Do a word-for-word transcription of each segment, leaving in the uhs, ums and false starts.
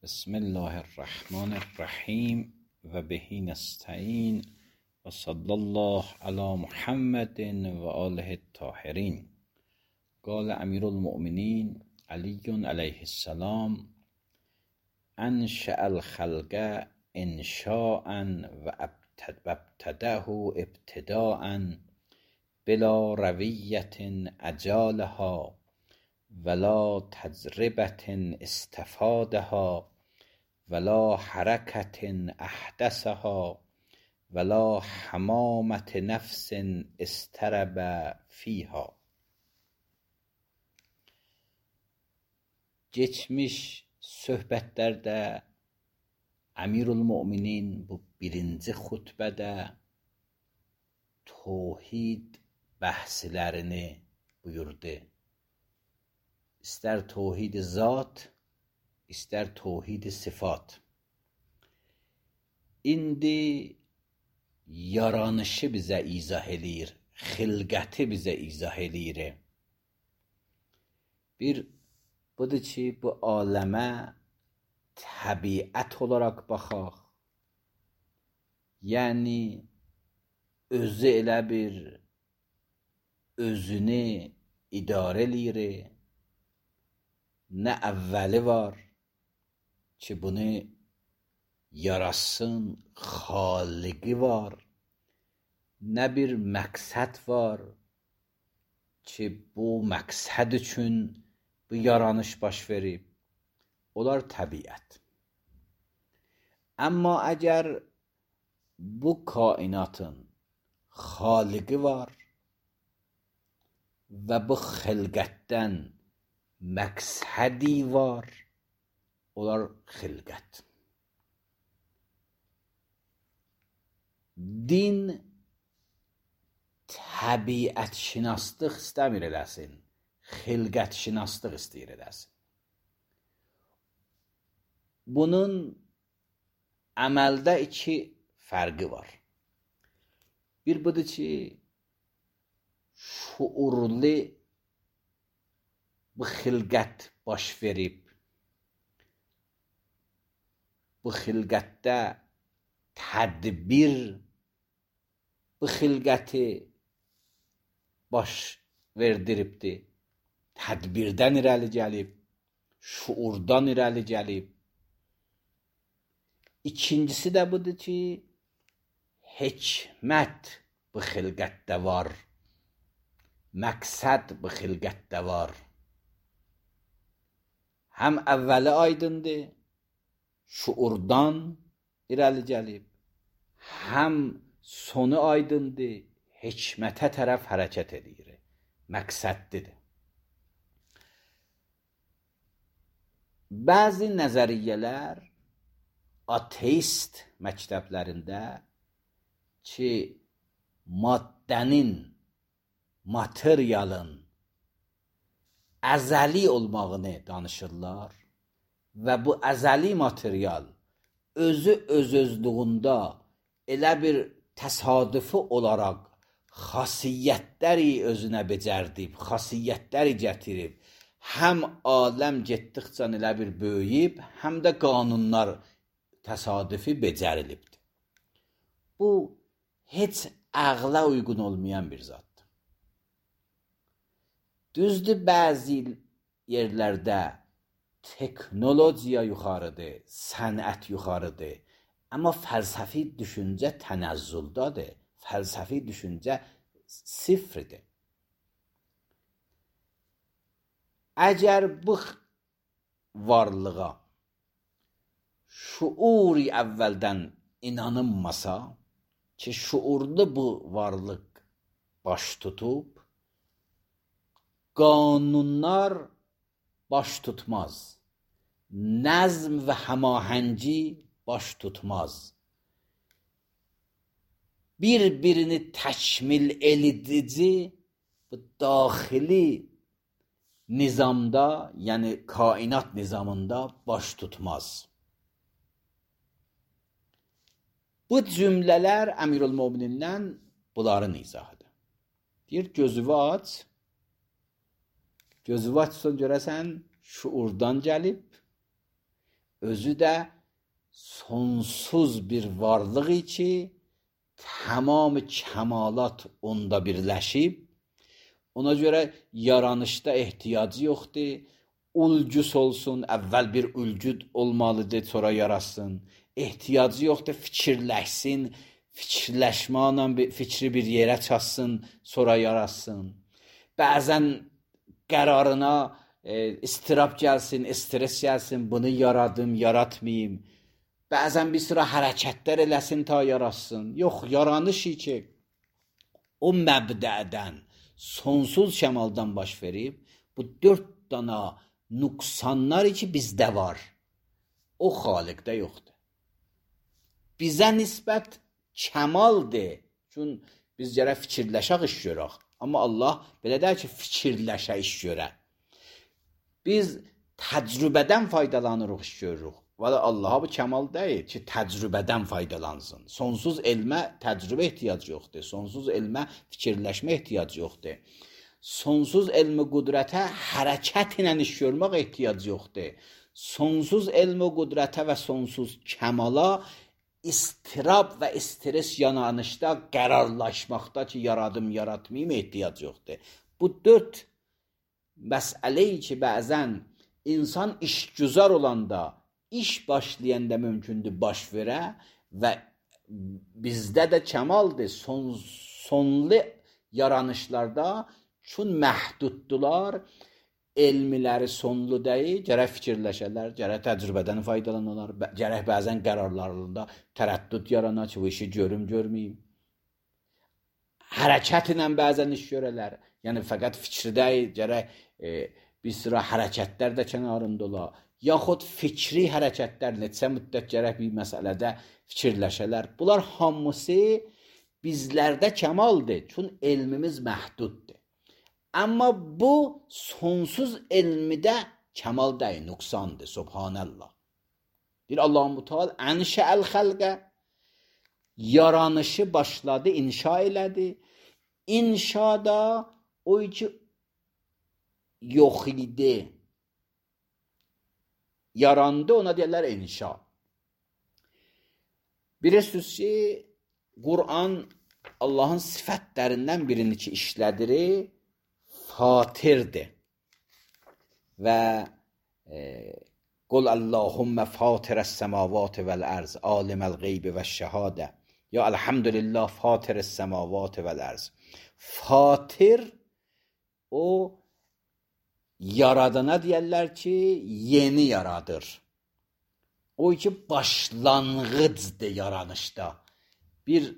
بسم الله الرحمن الرحیم و بهی نستعین و صلی الله علی محمد و آله الطاهرین. قال امیر المؤمنین علی علیه السلام: انشأ الخلق انشاء و ابتدأه ابتداء بلا رویة اجالها ولا تجربة استفادها ولا حرکة احدثها ولا حمامة نفس استرب فیها. Geçmiş söhbətlərdə Əmirülmüminin bu birinci xutbədə tövhid bəhslərini buyurdu. İstər tövhid zat, istər tövhid sifat. İndi yaranışı bizə izah eləyir, xilqəti bizə izah eləyir. Bir budur ki, bu aləmə təbiət olaraq baxaq. Yəni özü elə bir özünü idarə eləyir. Nə əvvəli var ki, bunu yarasın, xaliqi var. Nə bir məqsəd var ki, bu məqsəd üçün bu yaranış baş verib. Onlar təbiət. Amma əgər bu kainatın xaliqi var və bu xilqətdən məqsədi var, onlar xilqət. Din təbiət şinaslıq istəmir eləsin, xilqət şinaslıq istəyir eləsin. Bunun əməldə iki fərqi var. Bir budur ki, şuurlu bu xilqət baş verib. Bu xilqətdə tədbir bu xilqəti baş verdiribdir. Tədbirdən irəli gəlib, şuurdan irəli gəlib. İkincisi də budur ki, hikmət bu xilqətdə var. Məqsəd bu xilqətdə var. Həm əvvəli aydındır, şuurdan irəli gəlib. Həm sonu aydındır, hikmətə tərəf hərəkət edir. Məqsədlidir. Bəzi nəzəriyyələr ateist məktəblərində ki, maddənin, materialın əzəli olmağını danışırlar və bu əzəli material özü öz-özlüğündə elə bir təsadüfi olaraq xasiyyətləri özünə becərdib, xasiyyətləri gətirib, həm aləm getdikcə elə bir böyüyüb, həm də qanunlar təsadüfi becərilibdir. Bu, heç ağla uyğun olmayan bir zatdır. Düzdür, bəzi yerlərdə teknologiya yuxarıdır, sənət yuxarıdır. Amma fəlsəfi düşüncə tənəzzüldadır. Fəlsəfi düşüncə sıfırdır. Əgər bu varlığa şuuri əvvəldən inanılmasa ki, şuurlu bu varlıq baş tutub, qanunlar baş tutmaz. Nəzm və həmahəngi baş tutmaz. Bir-birini təkmil edici bu daxili nizamda, yəni kainat nizamında baş tutmaz. Bu cümlələr Əmirülmüminindən bunların izahıdır. Deyir, gözünü aç, gözünü açsan görəsən şuurdan gəlib, özü də sonsuz bir varlıq ki, tamam kəmalat onda birləşib. Ona görə yaranışda ehtiyacı yoxdur. Ulcus olsun, əvvəl bir ulcud olmalıdır, sonra yarasın. Ehtiyacı yoxdur, fikirləşsin, fikirləşməklə fikri bir yerə çatsın, sonra yarasın. Bəzən qərarına e, istirab gəlsin, stres gəlsin, bunu yaradım, yaratmayayım. Bəzən bir sıra hərəkətlər eləsin ta yarasın. Yox, yaranış ki, o məbdədən, sonsuz kəmaldan baş verib, bu dörd dana nüqsanlar ki bizdə var, o xaliqdə yoxdur. Bizə nisbət kəmaldır. Çün biz gərək fikirləşək iş görək. Amma Allah belə deyir ki, fikirləşək iş görə. Biz təcrübədən faydalanırıq iş görürük. Valla Allaha bu kəmal deyil ki, təcrübədən faydalansın. Sonsuz elmə təcrübə ehtiyacı yoxdur. Sonsuz elmə fikirləşmə ehtiyacı yoxdur. Sonsuz elmi qudrətə hərəkət ilə iş görmək ehtiyacı yoxdur. Sonsuz elmi qudrətə və sonsuz kəmala istirab və stres yananışda, qərarlaşmaqda ki, yaradım, yaratmayayım ehtiyacı yoxdur. Bu dörd məsələyi ki, bəzən insan işgüzar olanda, iş başlayanda mümkündür baş verə və bizdə də kəmaldır. Son, sonlu yaranışlarda çün məhduddular, elmiləri sonlu deyil, gərək fikirləşələr, gərək təcrübədən faydalanırlar, gərək bəzən qərarlarında tərəddüd yarana ki, bu işi görüm, görməyim. Hərəkət ilə bəzən iş görələr, yəni fəqət fikri deyil, gərək e, bir sıra hərəkətlər də kənarında ola, yaxud fikri hərəkətlər neçə müddət gərək bir məsələdə fikirləşələr. Bunlar hamısı bizlərdə kəmaldır, çün elmimiz məhduddur. Amma bu sonsuz elmidə kəmal deyil, nüqsandır, subhanallah. Bir Allah-u Teala ənşəəl xəlqə, yaranışı başladı, inşa elədi. İnşada o ki yox idi. Yarandı, ona deyirlər inşa. Bilirsiniz ki, Qur'an Allahın sifətlərindən birini ki işlədir, fatirdir. Və e, Qul Allahümmə fatirəs-səmavati vəl-ərz, aliməl-qeybi və-şəhadə. Ya elhamdülillah fatirəs-səmavati vəl-ərz. Fatir, o yaradana deyərlər ki, yeni yaradır. O ki, başlanğıcdır yaranışda. Bir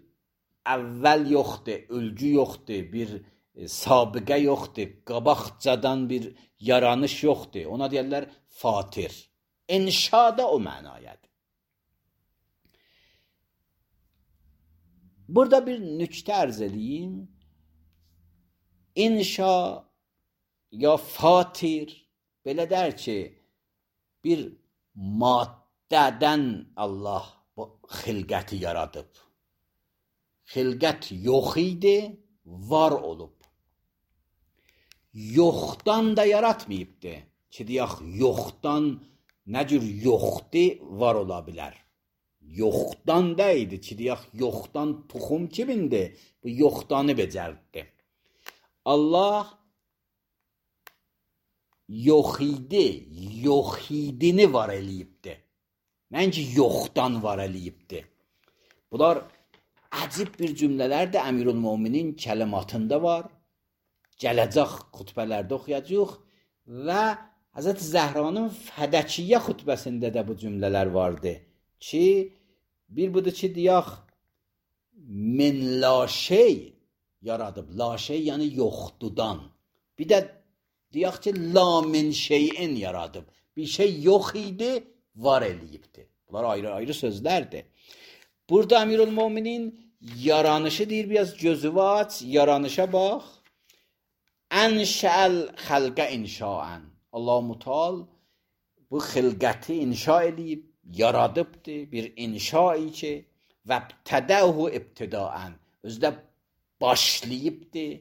əvvəl yoxdur, ölgü yoxdur, bir e, sabiqə yoxdur, qabaqcadan bir yaranış yoxdur. Ona deyərlər fatir. İnşada o mənayədir. Burada bir nüktə ərz edeyim. İnşa ya fatir, belə der ki, bir maddədən Allah bu xilqəti yaradıb. Xilqət yox idi, var olub. Yoxdan da yaratmayıbdı. Ki, deyək, yoxdan nə cür yoxdur, var ola bilər. Yoxdan deyildi ki, deyək, yoxdan tuxum kimindir? Bu yoxdanı becərdi. Allah yox idi, yox idini var eləyibdi. Mənki yoxdan var eləyibdi. Bunlar əcib bir cümlələr də Əmirül-Möminin kəlimatında var. Gələcək xutbələrdə oxuyacaq və Həzrət Zəhranın Fədəkiyyə xutbəsində də bu cümlələr vardı ki, bir budur ki, deyək, min la şey yaradıb. La şey yəni yoxdudan. Bir də deyək ki, la min şeyin yaradıb. Bir şey yox idi, var eləyibdi. Bunlar ayrı-ayrı sözlərdir. Burada Əmirül-Möminin yaranışı deyir, biraz gözü aç, yaranışa bax. Ənşəəl xəlqə inşaən. Allah-u Teala bu xilqəti inşa edib, yaradıbdır, bir inşai ki, vəbtədəhu ibtidaən. Özdə başlayıbdır.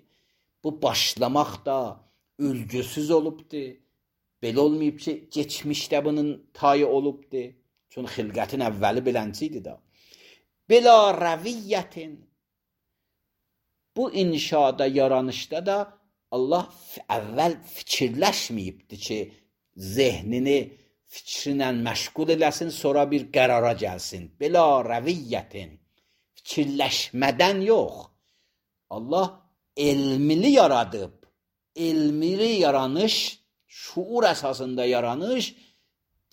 Bu başlamaq da ülgüsüz olubdur. Belə olmayıb ki, keçmişdə bunun tayı olubdu. Çünki xilqətin əvvəli belənçi idi da. Bila rəviyyətin. Bu inşada, yaranışda da Allah əvvəl fikirləşməyibdi ki, zehnini fikrinlə məşğul eləsin, sonra bir qərara gəlsin. Bila rəviyyətin. Fikirləşmədən yox. Allah elmini yaradıb. Elmini yaranış, şuur əsasında yaranış,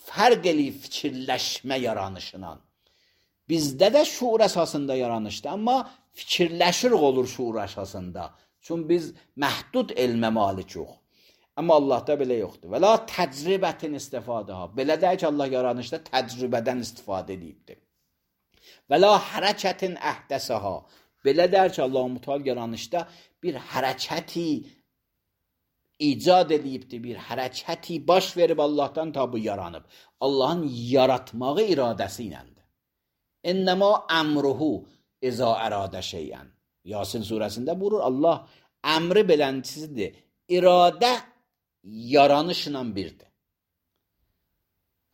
fərq eləyib fikirləşmə yaranışından. Bizdə də şuur əsasında yaranışdır, amma fikirləşirik olur şuur əsasında. Çünki biz məhdud elmə malikik. Amma Allahda belə yoxdur. Və la təcrübətin istifadəha. Belə deyək ki, Allah yaranışda təcrübədən istifadə edibdir. Və la hərəkətin əhdəsəha. Belə deyək ki, Allah Mütəal yaranışda bir hərəkəti icad edibdir, bir hərəkəti baş verib Allahdan tabi yaranıb. Allahın yaratmağı iradəsi iləndir. İnnəmə əmruhu izə əradə şeyən. Yasin surəsində buyurur, Allah əmri beləncisidir. İradə yaranışla birdir.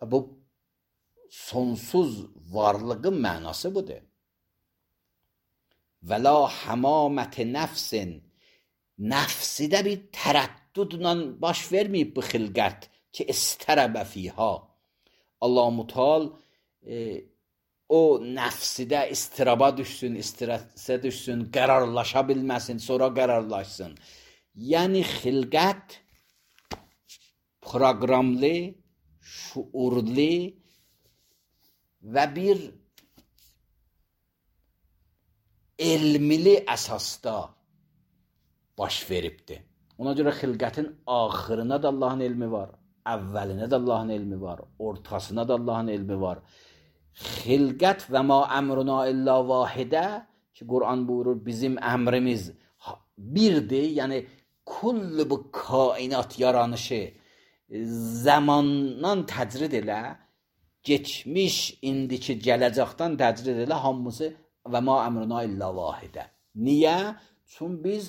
Bu sonsuz varlığın mənası budur. Və la həmaməti nəfsin. Nəfsidə bir tərəddüdlə baş verməyib bu xilqət ki, istərəbə fiha. Allah-u Mütəal e, o nəfsidə istiraba düşsün, istirəsə düşsün, qərarlaşa bilməsin, sonra qərarlaşsın. Yəni xilqət proqramlı, şuurlu və bir elmili əsasda baş veribdir. Ona görə xilqətin axırına da Allahın elmi var, əvvəlinə də Allahın elmi var, ortasına da Allahın elmi var. Xilqət və ma əmruna illa vahidə ki, Quran buyurur, bizim əmrimiz birdir, yəni kullu bu kainat yaranışı zamandan təcrid elə, geçmiş, indiki, gələcəkdən təcrid elə, hamısı və ma əmruna illa vahidə. Niyə? Çünki biz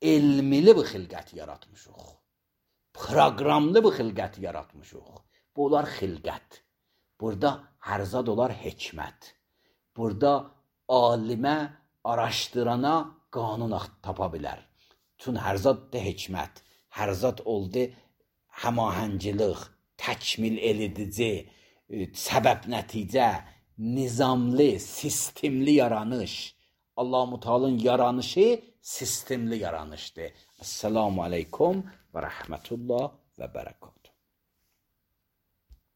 elmili bir xilqət yaratmışıq. Proqramlı bir xilqət yaratmışıq. Bu olar xilqət. Burada hərzad olar hikmət. Burada alimə, araşdırana qanun tapa bilər. Çünki hərzad da hikmət. Hərzad oldu həmahəngilik, təkmil edici, səbəb nəticə, nizamlı, sistemli yaranış. Allah-u Mütəalın yaranışı sistemli yaranışdır. Esselamu aleykum və rəhmətullah və bərəkət.